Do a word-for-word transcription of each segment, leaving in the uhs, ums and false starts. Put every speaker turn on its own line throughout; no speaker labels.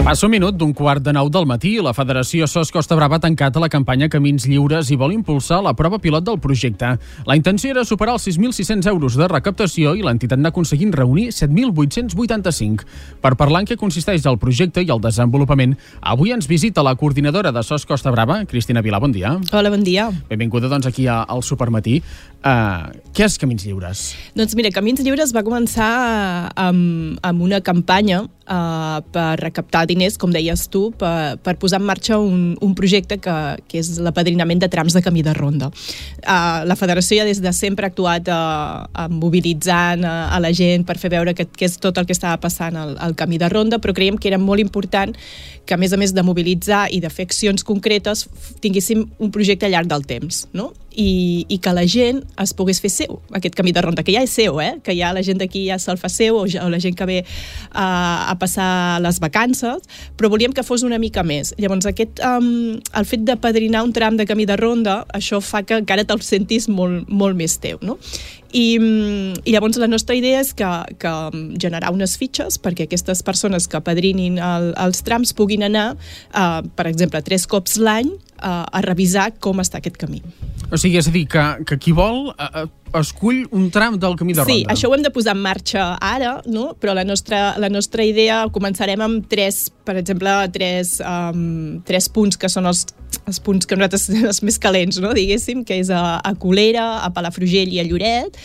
Passa un minut d'un quart de nou del matí i la Federació S O S Costa Brava ha tancat la campanya Camins Lliures i vol impulsar la prova pilot del projecte. La intenció era superar els sis mil sis-cents euros de recaptació i l'entitat n'ha aconseguit reunir set mil vuit-cents vuitanta-cinc. Per parlar en què consisteix el projecte i el desenvolupament, avui ens visita la coordinadora de S O S Costa Brava, Cristina Vilà. Bon dia.
Hola, bon dia.
Benvinguda doncs, aquí al Supermatí. Uh, què és Camins Lliures?
Doncs mira, Camins Lliures va començar amb, amb una campanya uh, per recaptar diners, com deies tu, per, per posar en marxa un, un projecte que, que és l'apadrinament de trams de camí de ronda. Uh, la Federació ja des de sempre ha actuat uh, mobilitzant uh, a la gent per fer veure que, que és tot el que estava passant al, al camí de ronda, però creiem que era molt important que, a més a més de mobilitzar i de fer accions concretes, tinguéssim un projecte al llarg del temps, no? I, i que la gent es pogués fer seu, aquest camí de ronda, que ja és seu, eh? Que ja la gent d'aquí ja se'l fa seu, o, ja, o la gent que ve uh, a passar les vacances, però volíem que fos una mica més. Llavors, aquest, um, el fet d'apadrinar un tram de camí de ronda, això fa que encara te'l sentis molt, molt més teu, no? I, i llavors la nostra idea és que, que generar unes fitxes perquè aquestes persones que apadrinin el, els trams puguin anar, uh, per exemple, tres cops l'any uh, a revisar com està aquest camí.
O sigui, és a dir, que, que qui vol uh, escull un tram del camí de ronda.
Sí, això ho hem de posar en marxa ara, no? Però la nostra, la nostra idea, començarem amb tres, per exemple, tres, um, tres punts que són els, els punts que nosaltres els més calents, no? Diguéssim, que és a, a Colera, a Palafrugell i a Lloret,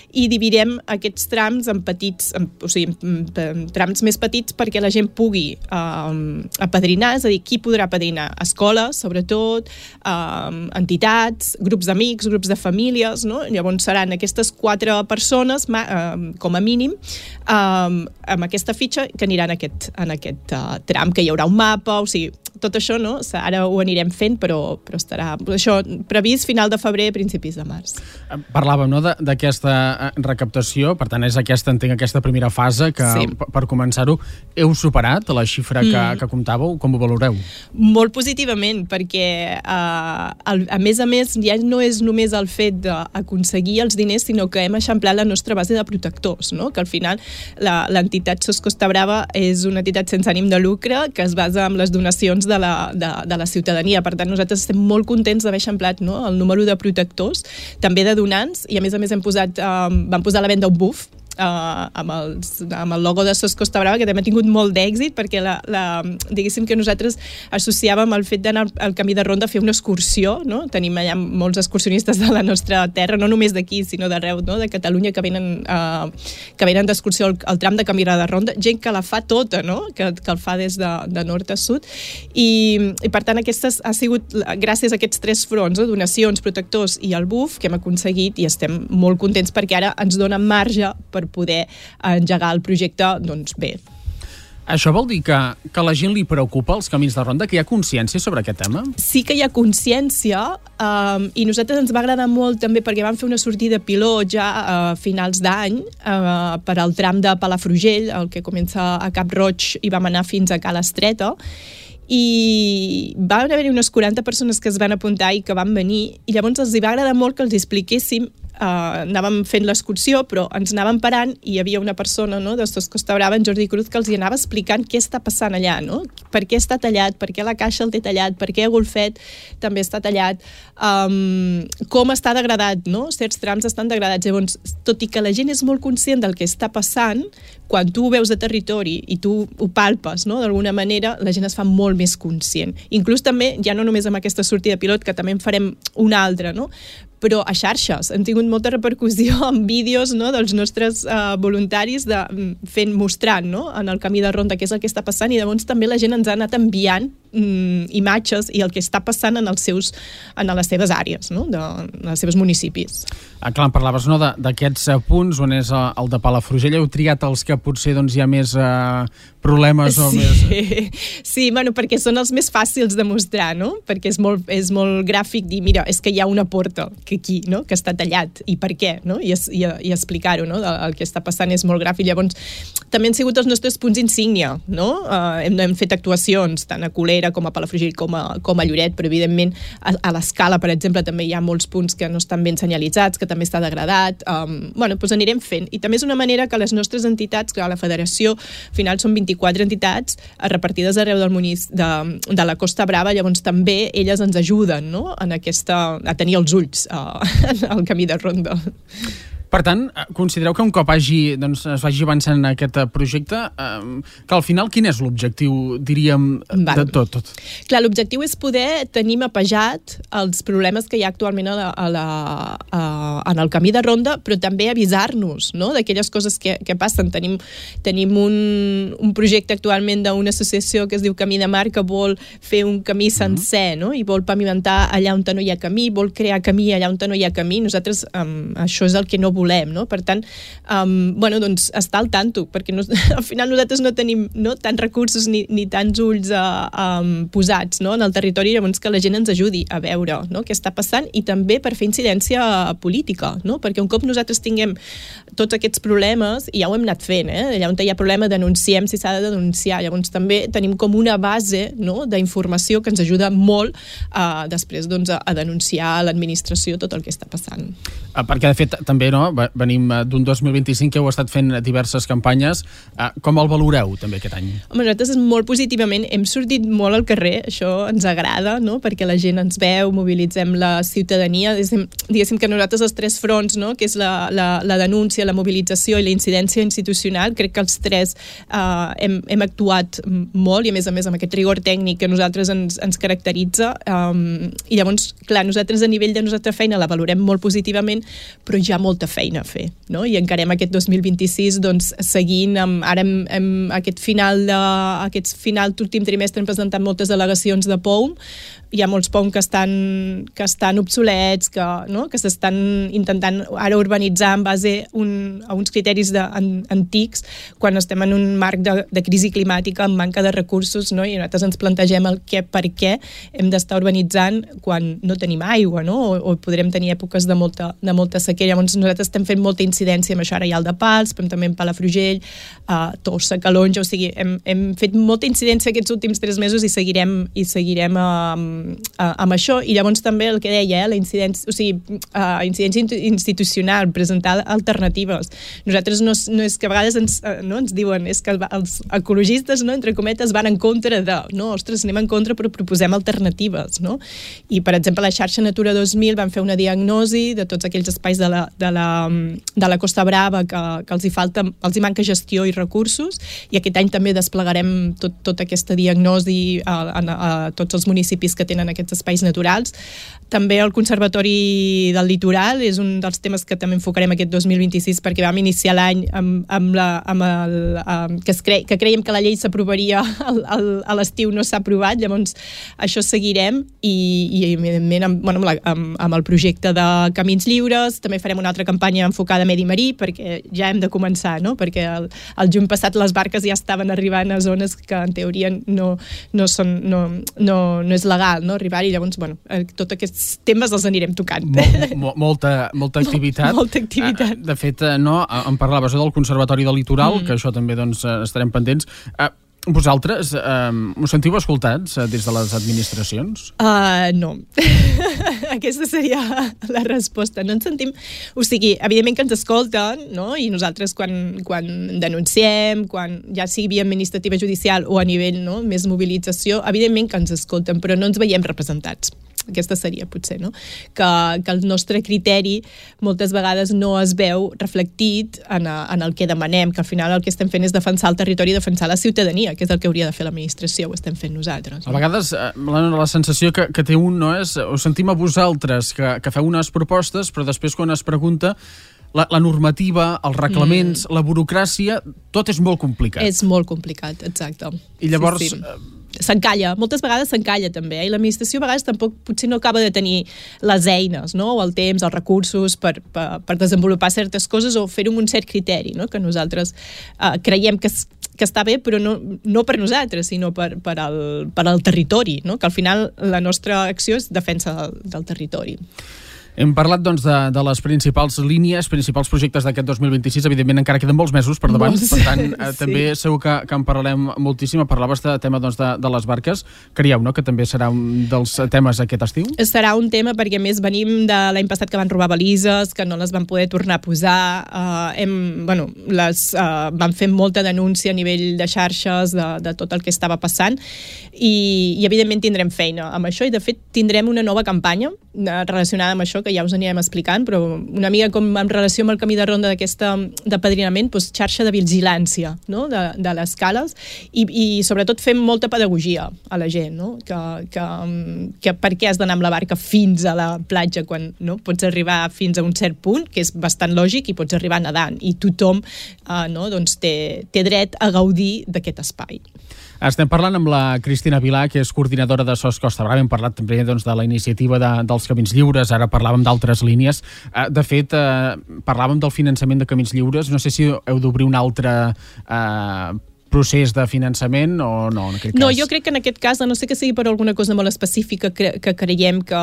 i dividirem aquests trams en petits, en, o sigui, en, en trams més petits perquè la gent pugui um, apadrinar, és a dir, qui podrà apadrinar? Escoles, sobretot, um, entitats, grups d'amics, grups de famílies, no? Llavors seran aquestes quatre persones, um, com a mínim, um, amb aquesta fitxa que aniran en aquest, en aquest uh, tram, que hi haurà un mapa, o sigui, tot això, no? Ara ho anirem fent, però, però estarà això previst final de febrer, principis de març.
Parlàvem, no?, d'aquesta recaptació, per tant, és aquesta, entenc, aquesta primera fase que, sí. per començar-ho, heu superat la xifra que, mm. que comptàveu. Com ho valoreu?
Molt positivament, perquè uh, el, a més a més ja no és només el fet d'aconseguir els diners, sinó que hem eixamplat la nostra base de protectors, no? Que al final l'entitat S O S Costa Brava és una entitat sense ànim de lucre que es basa en les donacions de la, de, de la ciutadania. Per tant, nosaltres estem molt contents d'haver eixamplat, no?, el número de protectors, també de donants, i a més a més hem posat, um, vam posar a la venda un buf Uh, amb, els, amb el logo de S O S Costa Brava, que també ha tingut molt d'èxit, perquè la, la, diguéssim que nosaltres associàvem el fet d'anar al camí de ronda a fer una excursió, no? Tenim allà molts excursionistes de la nostra terra, no només d'aquí, sinó d'arreu, no?, de Catalunya, que venen, uh, que venen d'excursió al, al tram de camí de ronda, gent que la fa tota, no?, que, que el fa des de, de nord a sud, i, i per tant aquestes ha sigut gràcies a aquests tres fronts, no?, donacions, protectors i el buf, que hem aconseguit, i estem molt contents perquè ara ens dona marge per poder engegar el projecte, doncs bé.
Això vol dir que, que a la gent li preocupa els camins de ronda, que hi ha consciència sobre aquest tema?
Sí que hi ha consciència, um, i nosaltres ens va agradar molt també perquè vam fer una sortida pilot ja a finals d'any uh, per al tram de Palafrugell, el que comença a Cap Roig, i vam anar fins a Cala Estreta, i van haver-hi unes quaranta persones que es van apuntar i que van venir, i llavors els hi va agradar molt que els expliquéssim. Uh, anàvem fent l'excursió, però ens anàvem parant i hi havia una persona, no?, de S O S Costa Brava, en Jordi Cruz, que els hi anava explicant què està passant allà, no? Per què està tallat, per què la caixa el té tallat, per què Golfet també està tallat, um, com està degradat, no? Certs trams estan degradats. Llavors, tot i que la gent és molt conscient del que està passant, quan tu ho veus de territori i tu ho palpes, no?, d'alguna manera, la gent es fa molt més conscient. Inclús també, ja no només amb aquesta sortida pilot, que també en farem una altra, no?, però a xarxes hem tingut molta repercussió en vídeos, no?, dels nostres uh, voluntaris de, fent, mostrant, no?, en el camí de ronda què és el que està passant, i llavors també la gent ens ha anat enviant mm, imatges i el que està passant en els seus, en les seves àrees, no?, de, en els seus municipis.
Ah, clar, em parlaves, no?, d'aquests punts on és el de Palafrugell. Heu triat els que potser doncs, hi ha més uh, problemes
sí.
o més...
Sí, bueno, perquè són els més fàcils de mostrar, no?, perquè és molt, és molt gràfic dir, mira, és que hi ha una porta que aquí, no?, que està tallat, i per què, no?, i, i, i explicar-ho, no?, el que està passant és molt gràfic. Llavors, també han sigut els nostres punts insígnia, no?, uh, hem, hem fet actuacions tant a Colera enrere, com a Palafrugell, com a, com a Lloret, però evidentment a, a l'escala, per exemple, també hi ha molts punts que no estan ben senyalitzats, que també està degradat. Um, bueno, doncs anirem fent. I també és una manera que les nostres entitats, que a la federació, al final són vint-i-quatre entitats repartides arreu del munici, de, de la Costa Brava, llavors també elles ens ajuden, no?, en aquesta, a tenir els ulls uh, al camí de ronda.
Per tant, considereu que un cop hagi, doncs, es vagi avançant en aquest projecte, eh, que al final quin és l'objectiu, diríem, de tot? tot?
Clar, l'objectiu és poder tenir mapejat els problemes que hi ha actualment a la, a la, a, en el camí de ronda, però també avisar-nos, no?, d'aquelles coses que, que passen. Tenim, tenim un, un projecte actualment d'una associació que es diu Camí de Mar, que vol fer un camí sencer, no?, i vol pavimentar allà on no hi ha camí, vol crear camí allà on no hi ha camí. Nosaltres, um, això és el que no volem, no? Per tant, um, bueno, doncs estar al tanto, perquè no, al final nosaltres no tenim, no, tants recursos ni, ni tants ulls uh, um, posats, no?, en el territori, llavors que la gent ens ajudi a veure, no?, què està passant, i també per fer incidència política, no?, perquè un cop nosaltres tinguem tots aquests problemes, i ja ho hem anat fent, eh? Allà on hi ha problema denunciem si s'ha de denunciar, llavors també tenim com una base, no?, d'informació que ens ajuda molt uh, després, doncs, a, a denunciar a l'administració tot el que està passant.
Uh, perquè de fet també, no?, venim d'un dos mil vint-i-cinc que heu estat fent diverses campanyes. Com el valoreu també aquest any?
Home, nosaltres molt positivament hem sortit molt al carrer, això ens agrada, no?, perquè la gent ens veu, mobilitzem la ciutadania, diguéssim, diguéssim que nosaltres els tres fronts, no?, que és la, la, la denúncia, la mobilització i la incidència institucional, crec que els tres uh, hem, hem actuat molt, i a més a més amb aquest rigor tècnic que nosaltres ens, ens caracteritza, um, i llavors, clar, nosaltres a nivell de nostra feina la valorem molt positivament, però hi ha molta feina a fer, no?, i encarem aquest dos mil vint-i-sis doncs seguint amb, ara hem, hem aquest final de, aquest final d'últim trimestre hem presentat moltes al·legacions de P O U M, hi ha molts P O U M que estan, que estan obsolets, que, no?, que s'estan intentant ara urbanitzar en base un, a uns criteris de, an, antics, quan estem en un marc de, de crisi climàtica amb manca de recursos, no?, i nosaltres ens plantegem el què, per què hem d'estar urbanitzant quan no tenim aigua, no?, o, o podrem tenir èpoques de molta, de molta sequera. Llavors nosaltres estem fent molta incidència amb això, ara hi ha el de Pals, però també en Palafrugell, uh, Tossa, Calonja, o sigui, hem, hem fet molta incidència aquests últims tres mesos i seguirem, i seguirem uh, uh, amb això, i llavors també el que deia, eh, la incidència, o sigui, uh, incidència institucional, presentar alternatives. Nosaltres no, no és que a vegades ens, uh, no, ens diuen, és que els ecologistes, no, entre cometes, van en contra de, no, ostres, anem en contra però proposem alternatives, no? I per exemple la xarxa Natura dos mil van fer una diagnosi de tots aquells espais de la, de la, de la Costa Brava que, que els hi falta, els hi manca gestió i recursos, i aquest any també desplegarem tot, tota aquesta diagnosi a, a, a tots els municipis que tenen aquests espais naturals. També el Conservatori del Litoral és un dels temes que també enfocarem aquest dos mil vint-i-sis, perquè vam iniciar l'any amb, amb la, amb el, amb, que, es cre, que creiem que la llei s'aprovaria a l'estiu, no s'ha aprovat, llavors això seguirem, i, i evidentment amb, bueno, amb, la, amb, amb el projecte de Camins Lliures també farem una altra campanya enfocada a medi marí, perquè ja hem de començar, no?, perquè el, el juny passat les barques ja estaven arribant a zones que en teoria no, no, són, no, no, no és legal, no?, arribar-hi, llavors, bueno, tots aquests temes els anirem tocant.
Mol, mol, molta, molta activitat.
Mol, molta activitat.
De fet, no, em parlaves del Conservatori del Litoral, mm. que això també doncs, estarem pendents. Vosaltres eh, us sentiu escoltats eh, des de les administracions?
Uh, no. Aquesta seria la resposta. No ens sentim... O sigui, evidentment que ens escolten, no?, i nosaltres quan, quan denunciem, quan ja sigui via administrativa judicial o a nivell, no?, més mobilització, evidentment que ens escolten, però no ens veiem representats. Aquesta seria, potser, no?, que, que el nostre criteri moltes vegades no es veu reflectit en, a, en el que demanem, que al final el que estem fent és defensar el territori i defensar la ciutadania, que és el que hauria de fer l'administració, ho estem fent nosaltres. No?
A vegades la, la sensació que, que té un, no, és, us sentim a vosaltres que, que feu unes propostes, però després quan es pregunta la, la normativa, els reglaments, mm. la burocràcia, tot és molt complicat.
És molt complicat, exacte.
I llavors...
Sí, sí. S'encalla, moltes vegades s'encalla també, eh? I l'administració a vegades tampoc potser no acaba de tenir les eines, no?, o el temps, els recursos per, per, per desenvolupar certes coses o fer-ho amb un cert criteri, no?, que nosaltres eh, creiem que, que està bé, però no, no per nosaltres, sinó per, per, al, per al territori, no?, que al final la nostra acció és defensa del, del territori.
Hem parlat doncs, de, de les principals línies, principals projectes d'aquest dos mil vint-i-sis. Evidentment, encara queden molts mesos per davant. Molts. Per tant, eh, sí. també segur que, que en parlarem moltíssim. Parlaves de tema doncs, de, de les barques. Creieu, no?, que també serà un dels temes aquest estiu?
Serà un tema perquè, a més, venim de l'any passat que van robar balises, que no les van poder tornar a posar. Uh, hem, bueno, les uh, van fer molta denúncia a nivell de xarxes de, de tot el que estava passant i, i evidentment tindrem feina amb això i de fet tindrem una nova campanya relacionada amb això que ja us anirem explicant, però una mica com en relació amb el camí de ronda d'aquesta d'apadrinament, doncs xarxa de vigilància, no?, de, de les cales i, i sobretot fem molta pedagogia a la gent, no?, que, que, que per què has d'anar amb la barca fins a la platja quan no? Pots arribar fins a un cert punt, que és bastant lògic, i pots arribar nedant i tothom eh, no? doncs té, té dret a gaudir d'aquest espai.
Estem parlant amb la Cristina Vilà, que és coordinadora de S O S Costa Brava. Hem parlat també doncs, de la iniciativa de, dels Camins Lliures, ara parlàvem d'altres línies. De fet, eh, parlàvem del finançament de Camins Lliures. No sé si heu d'obrir un altre eh, procés de finançament o no, en aquest cas?
No, jo crec que en aquest cas, a no sé que sigui per alguna cosa molt específica que, que creiem que,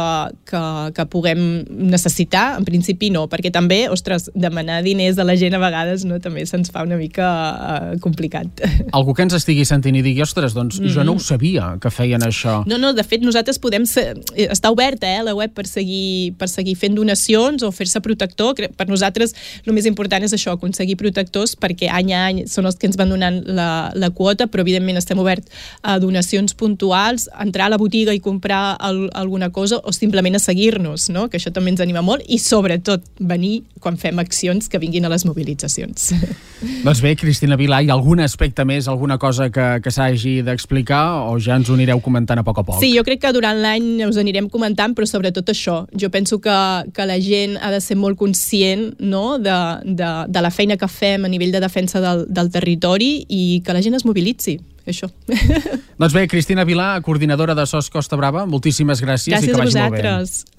que, que puguem necessitar, en principi no, perquè també, ostres, demanar diners a la gent a vegades no, també se'ns fa una mica uh, complicat.
Algú que ens estigui sentint i digui, ostres, doncs mm-hmm. jo no ho sabia que feien això.
No, no, de fet nosaltres podem ser, està oberta eh, la web per seguir, per seguir fent donacions o fer-se protector. Per nosaltres el més important és això, aconseguir protectors, perquè any a any són els que ens van donant la la quota, però evidentment estem oberts a donacions puntuals, entrar a la botiga i comprar el, alguna cosa o simplement a seguir-nos, no? Que això també ens anima molt i sobretot venir quan fem accions que vinguin a les mobilitzacions.
Doncs bé, Cristina Vilà, hi ha algun aspecte més, alguna cosa que, que s'hagi d'explicar o ja ens ho anireu comentant a poc a poc?
Sí, jo crec que durant l'any us anirem comentant, però sobretot això. Jo penso que, que la gent ha de ser molt conscient no? de, de, de la feina que fem a nivell de defensa del, del territori i que la gent es mobilitzi, això.
Doncs bé, Cristina Vilà, coordinadora de S O S Costa Brava, moltíssimes gràcies,
gràcies
i que vagi
molt bé. Gràcies a vosaltres.